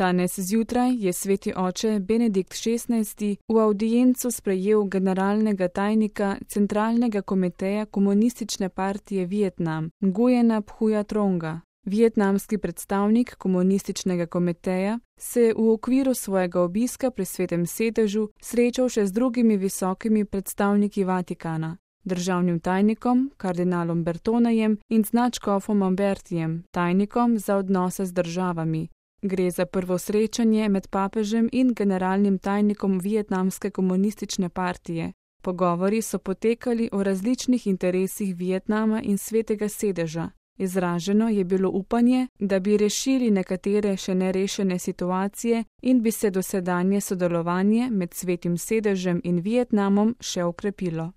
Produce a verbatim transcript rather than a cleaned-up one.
Danes zjutraj je sveti oče Benedikt šestnajsti v avdiencu sprejel generalnega tajnika Centralnega komiteja Komunistične partije Vietnam, Nguyena Phuja Tronga. Vietnamski predstavnik komunističnega komiteja se je v okviru svojega obiska pri svetem sedežu srečal še z drugimi visokimi predstavniki Vatikana, državnim tajnikom, kardinalom Bertonejem in z nadškofom Ambertijem, tajnikom za odnose z državami. Gre za prvo srečanje med papežem in generalnim tajnikom Vietnamske komunistične partije. Pogovori so potekali o različnih interesih Vietnama in svetega sedeža. Izraženo je bilo upanje, da bi rešili nekatere še nerešene situacije in bi se dosedanje sodelovanje med svetim sedežem in Vietnamom še okrepilo.